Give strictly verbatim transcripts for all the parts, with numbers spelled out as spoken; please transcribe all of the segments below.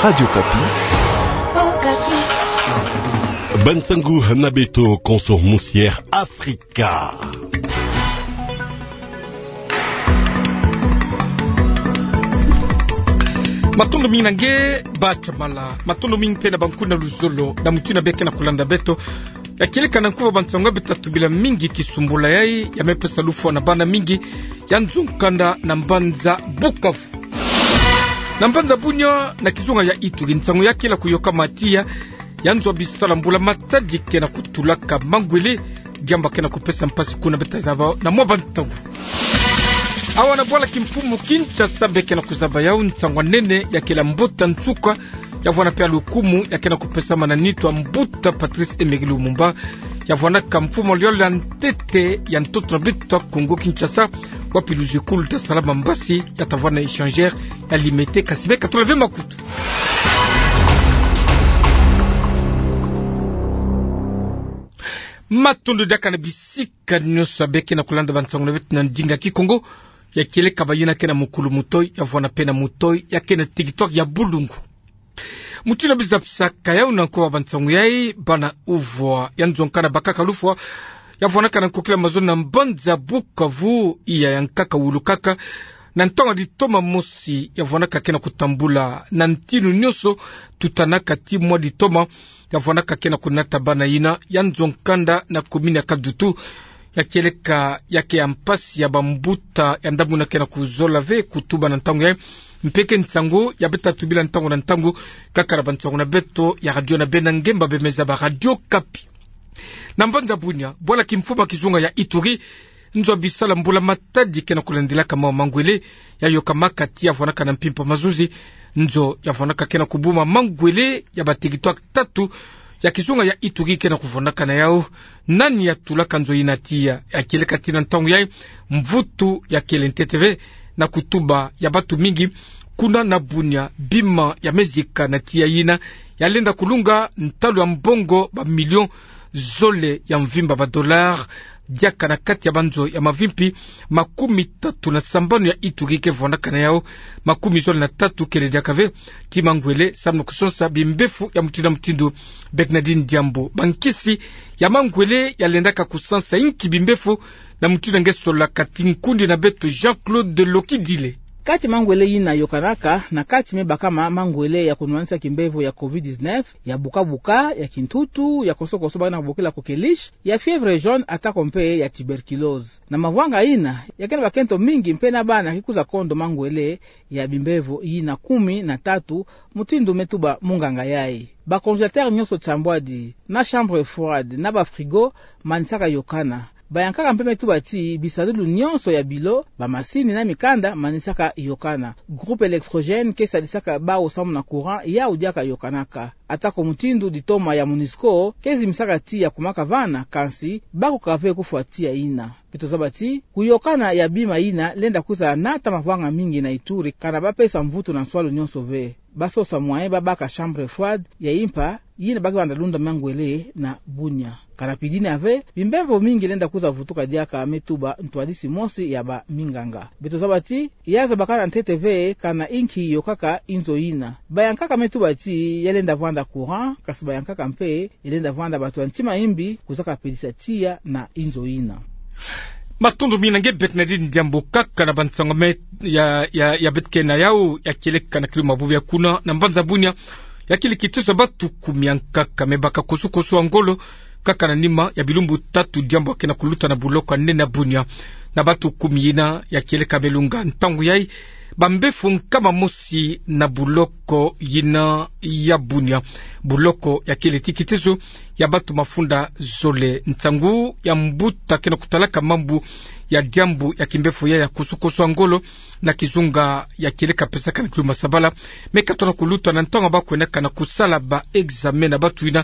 Radio Okapi. Okapi. Bansangu na beto konso musi Air Afrika. Matondo mingi na nge, Bacha Mala. Matondo mingi mpe na bankunga luzolo na mutindu beke na kulanda beto. Ya kieleka na nkuba bansangu ya beto tubila mingi kisumbula yai, ya me pesa lufwa na bana mingi ya nzo nkanda na mbanza Bukavu. Na mbanza Bunia, na kizunga ya Ituri, nsangu ya kele kuyokama tiya, ya nzo bisala mbula matadi ke na kutulaka mangwele, diambu ke na kupesa mpasi kuna. Beta zaba na mwa bansangu. Awa na bwala kimfumu Kinshasa beke na kuzaba yau nsangu ya nene ya kele mbuta nsuka, ya vwanda mpe lukumu ya ke na kupesama na nitu ya mbuta Patrice Emery Lumumba, ya vwandaka mfumu wa liole ya ntete ya ntoto na beto Kongo Kinshasa, wapi luzekulu ta sala mbasi ya ta vwanda na échangeur ya limete. Kasi beka tula ve makutu. Matondo diaka na bisika nyonso beke na kulanda bansangu na beto na ndinga Kikongo. Ya kieleka bayina ke na mukulu mutoyi, ya vwanda mpe na mutoyi ya ke na territoire ya Bulungu. Mutindu biza bisaka yau na nkuba bansangu yai, bana uvwa ya nzo nkanda bakaka lufwa, ya vwandaka na nkokila mazono na mbanza Bukavu, iya ya nkaka wulukaka, na ntangu ya ditoma mosi, ya vwandaka ke na kutambula na ntinu nyonso, tutanaka ti mwa ditoma, ya vwandaka ke na kunata bana yina ya nzo nkanda na commune ya Kadutu. Ya kieleka ya ke ya mpasi ya bambuta ya ndambu yina ke na kuzola ve kutuba na ntangu yai. Mpe ke nsangu ya beta tubila ntangu na ntangu, kaka na bansangu na beto ya radio na beno ngemba bemeza ba Radio Okapi. Na mbanza Bunia, bwala kimfumu ya kizunga ya Ituri, nzo bisala mbula matadi ke na kulandilaka mawu mangwele, ya yokamaka ti ya vwandaka na mpimpa mazuzi. Nzo ya vwandaka ke na kubuma mangwele ya ba territoire tatu ya kizunga ya Ituri ke na kuvwandaka na yau. Nani ya tulaka nzo yina tiya? Ya kieleka ti na ntangu yai, mvutu ya kele ntete ve na kutuba ya bantu mingi kuna na Bunia. Bima ya me zika na tiya yina ya lenda kulunga ntalu ya mbongo ba million zole ya mvimba, ba dollars, diaka na kati ya banzo ya mavimpi makumi tatu na sambanu ya Ituri ke vwandaka na yau, makumi zole na tatu kele diaka ve ti mangwele, samu na kusonsa bimbefu ya mutindu na mutindu. Bernardine Diambu, bankisi ya mangwele ya lendaka kusonsa inki bimbefu, na mutindu nge solola kati nkundi na beto Jean-Claude Lokidile. Kati mangwele yina yokanaka, na kati me bakama mangwele ya kunwanisa kimbevo ya covid dix-neuf, ya buka-buka, ya kintutu, ya koso-koso ba na bokila coqueluche, ya fièvre jaune, atako mpe ya tuberculose. Na mavwanga yina, ya ke na bakento mingi mpe na bana ki kwiza kondo mangwele ya bimbevo yina kumi na tatu, mutindu me tuba munganga yai. Ba congélateur nyonso sambwadi, na chambre froide, na ba frigo manisaka yokana. Bayankaka mpe me tuba ti bisadulu nyonso ya bilo, bamasini na mikanda manisaka yokana. Groupe électrogène ke sadisaka bawu samu na courant yau diaka yokanaka. Atako mutindu ditoma ya MONUSCO ke zimisaka ti ya kumaka vana, kansi bakokaka ve kufwa tiya yina. Beto zaba ti kuyokana ya bima yina lenda kwiza nata mavwanga mingi na Ituri, kana bapesa mvutu na nswalu nyonso ve. Basosa moyen babaka chambre froide ya impa yina ba ke banda lunda mangwele na Bunia. Kana pidina ve, bimbevo mingi lenda kwiza vutuka diaka, me tuba ntwadisi mosi ya baminganga. Beto zaba ti ya zabakana ntete ve kana inki yokaka inzo yina. Bayankaka me tuba ti ya lenda vwanda courant, kansi bayankaka mpe ya lenda vwanda bantu ya ntima imbi kwiza kapelisa tiya na inzo yina. Matondo mingi na nge Bernardine Diambu. Kaka na bansangu me ya, ya, ya beto ke na yau, ya kieleka na kilo mabubu ya kuna na mbanza Bunia, ya kieleka ti sa bantu kumi ya nkaka me baka koso-koso ya ngolo, kaka na nima ya bilumbu tatu diambu ya ke na kuluta na buloko ya nene ya Bunia. Na bantu kumi yina, ya kieleka me lunga ntangu yai bambefu nkama mosi na buloko yina ya Bunia. Buloko ya kele ti kitezo ya bantu mafunda zole. Nsangu ya mbuta ke na kutalaka mambu ya diambu ya kimbefu ya, ya koso-koso ya ngolo na kizunga, ya kieleka pesaka na kilo masabala, me katona kuluta na ntangu ba kwendaka na kusala ba examen na bantu yina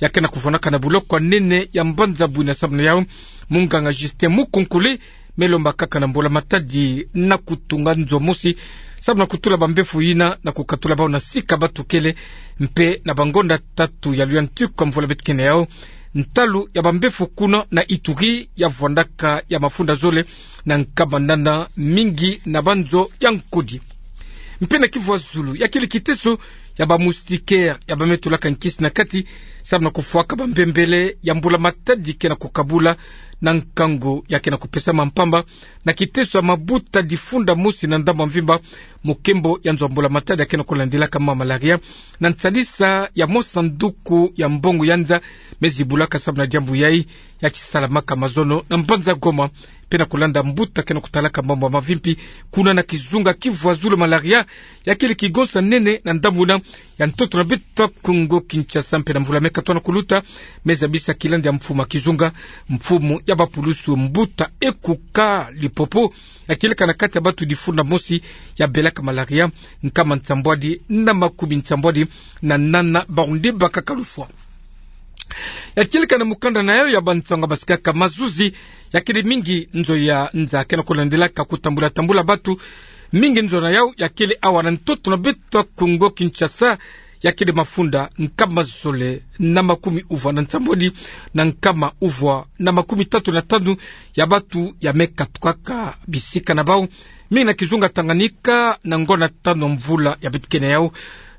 ya ke na kuvwandaka na buloko ya nene ya mbanza Bunia. Samu na yau, munganga Justin Mukonkole me lomba kaka na mbula matadi na kutunga nzo mosi samu na kutula bambefu yina na kukatula bawu na sika bantu kele, mpe na bangonda tatu ya luyantiku ya mvula beto ke na yau, ntalu ya bambefu kuna na Ituri ya vwandaka ya mafunda zole na nkama nana mingi na banzo ya nkudi. Mpe na kivwazulu, ya kele kiteso ya ba moustiquaires ya ba me tulaka nkisi na kati, samu na kufwaka ba mbembele ya mbula-matadi ke na kukabula na nkangu ya ke na kupesama mpamba na kiteso ya mabuta difunda mosi na ndambu ya mvimba, mu nkembo ya nzo ya mbula-matadi ya ke na kulandilaka malaria, na nsalisa ya mwa sanduku ya mbongo ya nza me zibulaka samu na diambu yayi, ya ke salamaka mazono na mbanza Goma, mpe na kulanda mbuta ke na kutalaka mambu ya mavimpi kuna na kizunga kivwazulu, malaria ya kele kigonsa nene na ndambu yina ya ntoto na beto ya Kongo Kinshasa. Mpe na mvula me katwa na kuluta, me zabisa kilandi ya mfumu ya kizunga, mfumu ya ba pulusu, mbuta Ekuka Lipopo, ya kieleka na kati ya batu difunda mosi ya belaka malaria, nkama nsambwadi na makumi nsambwadi na nana, bawu nde bakaka lufwa. Ya kieleka na mukanda na yawu ya bansangu ya basikaka mazuzi, ya kele mingi nzo ya nza ke na kulandilaka kutambula-tambula batu. Mingi nzo na yawu ya kele awa na ntoto na beto ya Kongo Kinshasa, ya kele mafunda nkama zole na makumi uvwa na nsambwadi na nkama uvwa na makumi tatu na tanu ya batu ya me katukaka bisika na bawu, mingi na kizunga Tanganyika, na ngonda tanu mvula ya beto ke na yawu,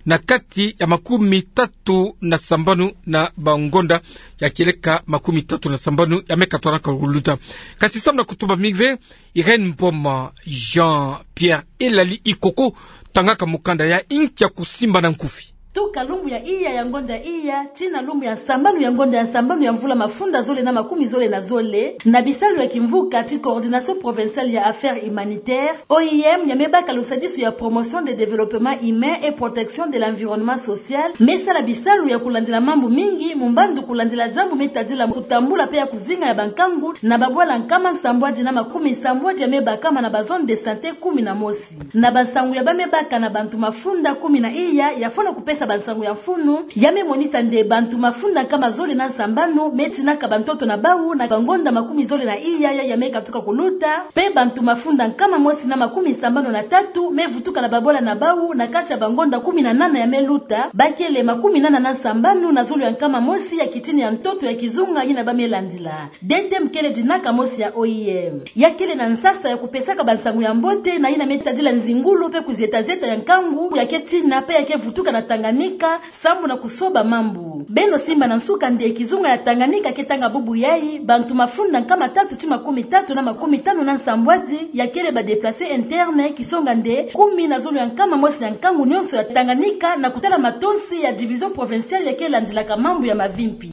na kati ya makumi tatu na sambanu na bangonda ya kieleka makumi tatu na sambanu ya me katwanaka kuluta. Kasi samu na kutuba mingi ve, Irène Mboma, Jean-Pierre Elali Ikoko, tangaka mukanda ya inkia kusimba na nkufi. Tuka lumbu ya iya ya ngonda iya tii na lumbu ya sambanu ya ngonda ya sambanu ya mvula mafunda zole na makumi zole na zole, na bisalu ya kimvuka ti Coordination Provinciale ya Affaires Humanitaires, O I M, ya me baka lusadisu ya promotion de développement humain et protection de l'environnement social, me sala bisalu ya kulandila mambu mingi, mu mbandu kulandila diambu me tadila kutambula mpe ya kuzinga ya bankangu na babwala nkama nsambwadi na makumi nsambwadi ya me bakama na ba zone de santé kumi na mosi. Na bansangu ya ba me baka na bantu mafunda kumi na iya, ya fwana kupesa bansangu ya mfunu, ya me monisa nde bantu mafunda nkama zole na sambanu me tinaka bantoto na bawu na bangonda makumi zole na iya ya, ya me katuka kuluta, mpe bantu mafunda nkama mosi na makumi sambanu na tatu me vutuka na babwala na bawu na kati ya bangonda kumi na nana ya me luta, ba kele makumi nana na sambanu na zulu ya nkama mosi ya kitini ya ntoto ya kizunga yina ba me landila. D T M kele dinaka mosi ya O I M. Ya kele na nsasa ya kupesaka bansangu ya mbote na yina me tadila nzingulu mpe kuzieta-zieta ya nkangu ya ke tina mpe ya ke vutuka na Tanganyika, sambu na kusoba mambu. Beno simba na nsuka nde kizunga ya Tanganyika ke tanga bubu yayi, bantu mafunda nkama tatu tii makumi tatu na makumi tanu na nsambwadi ya kele ba déplacés internes, kisonga nde kumi na zulu ya nkama mosi ya nkangu nyonso ya Tanganyika, na kutala matonsi ya Division Provinciale ya ke landilaka mambu ya mavimpi.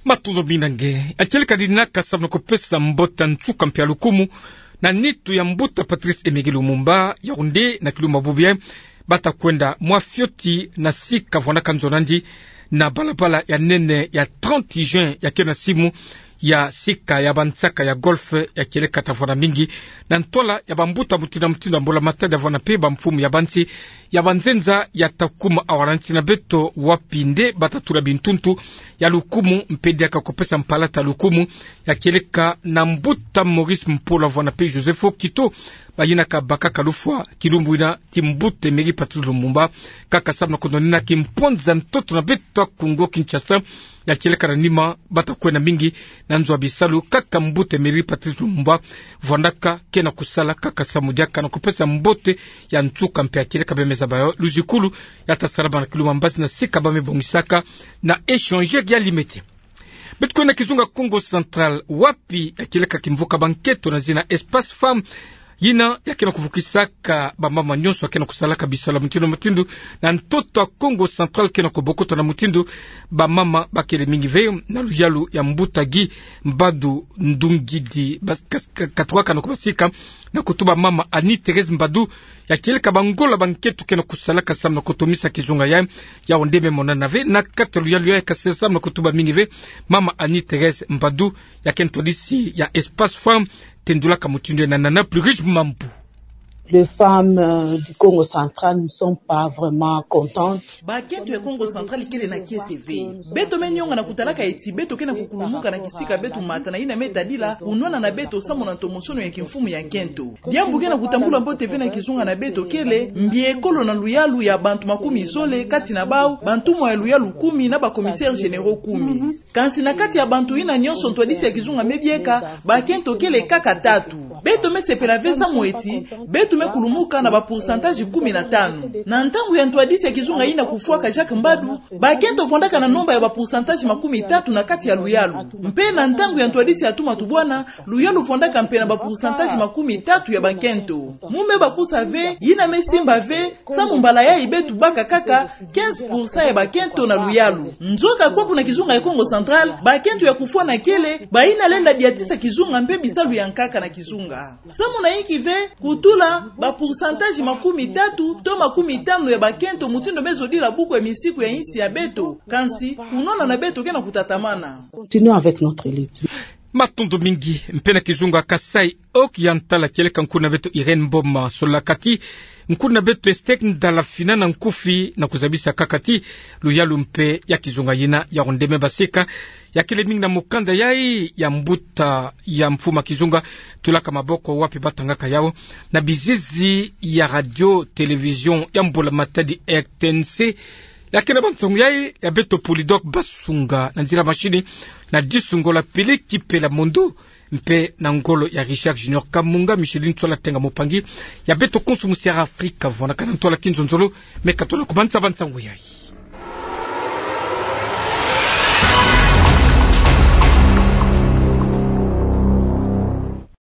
Matondo mingi na nge. Ya kieleka dinaka samu na kupesa mbote ya nsuka mpe ya lukumu na nitu ya mbuta Patrice Emery Lumumba, yawu nde na kilumbu bubu yayi bata kwenda mwa fioti na sika vwandaka nzo nandi, na balabala ya nene ya trente juin ya ke na simu, ya sika ya bansaka ya golf, ya kieleka ta vwanda mingi na ntwala ya bambuta mutindu na mutindu ya mbula-matadi, ya vwanda mpe bamfumu ya bansi ya banzenza ya ta kuma awa na nsi na beto, wapi nde bata tula bintuntu ya lukumu mpe diaka kupesa mpalata ya lukumu, ya kieleka na mbuta Maurice Mpolo, ya vwanda mpe Joseph Okito, bayinaka bakaka lufwa kilumbu yina ti mbuta Emery Patrice Lumumba, kaka samu na kundonina kimpwanza ntoto na beto ya Kongo Kinshasa. Ya kieleka na nima bata kwenda mingi na nzo ya bisalu, kaka mbuta Emery Patrice Lumumba vwandaka, ke na kusala kaka samu diaka na kupesa mbote ya nsuka mpe ya kieleka bemeza bayo luzikulu ya ta salama na kilumbu ya mbasi na sika ba me bongisaka na échangeur ya limete. Beto kwenda kizunga Kongo Central, wapi ya kieleka kimvuka bankento na zina Espace Femme, yina ya ke na kuvukisaka bamama nyonso ya ke na kusalaka bisalu ya mutindu na mutindu na ntoto ya Kongo Central, ke na kubokota na mutindu bamama ba kele mingi ve, na luyalu ya mbuta Guy Mbadu Ndungidi, ba-, kas-, ka-, katukaka na kubasika na kutuba mama Annie Thérèse Mbadu, ya kieleka bangola bankento ke na kusalaka samu na kutomisa kizunga yayi. Yawu nde me monana ve na kati ya luyalu yayi, kasi samu na kutuba mingi ve, mama Annie Thérèse Mbadu, ya ke ntwadisi ya Espace Femme, tendulaka mutindu yayi na Nana Plus Riche Mambu. Les femmes, euh, du Kongo Central ne sont pas vraiment contentes. Bankento ya Kongo Central kele na kiese ve. Beto me nyonga na kutalaka eti beto ke na kukulumuka na kisika beto mata na yina me tadila unwana na beto samu na ntomosono ya kimfumu ya nkento. Diambu ke na kutambula mbote ve na kizunga na beto kele mbi ekolo na luyalu ya bantu makumi zole, kati na bawu bantumwa ya luyalu kumi na ba commissaires généraux kumi. Kansi na kati ya bantu yina nyonso ntwadisi ya kizunga me bieka, bankento kele kaka tatu. Beto me sepela ve samu eti beto me kulumuka na ba pourcentage kumi na tanu. Na ntangu ya ntwadisi ya kizunga yina kufwaka Jacques Mbadu, bakento vandaka na nomba ya ba pourcentage makumi tatu na kati ya luyalu. Mpe na ntangu ya ntwadisi ya Tuma Tubwana, luyalu vandaka mpe na ba pourcentage makumi tatu ya bakento. Mu me bakusa ve, yina me simba ve, samu mbala yayi beto baka kaka quinze pour cent ya bakento na luyalu. Nzoka kwaku na kizunga ya Kongo Central, bakento ya kufwa na kele, bayina lenda diatisa kizunga mpe bisalu ya nkaka na kizunga. Samu na yinki ve kutula ba pourcentage makumi tatu to makumi tanu ya bakento mutindu me zodila buku ya misiku ya insi ya beto, kansi kunwana na beto ke na kutatamana. Continuons avec notre lutte. Matondo mingi. Mpe na kizunga Kasaï Oriental, kieleka nkuna beto Irène Mboma, sololaka ti nkuna beto Esther Ndala fina na nkufi na kuzabisa kaka ti luyalu mpe ya kizunga yina ya ronde me basika ya kele mingi na mukanda yayi ya mbuta ya mfuma kizunga Tulaka maboko, wapi batangaka yawu na bizizi ya radio télévision ya mbula matadi R T N C. Ya kele ba nsangu yayi ya beto Polydor Basunga na nzila machine, na disu ngolo ya Pili Kipela Mondo, mpe na ngolo ya Richard Junior Kamunga. Micheline Tswala Tenga, mopangi ya beto konso mu Sierra Africa, vwandaka na ntwala kinzonzolo me katona kubanza ba nsangu yayi.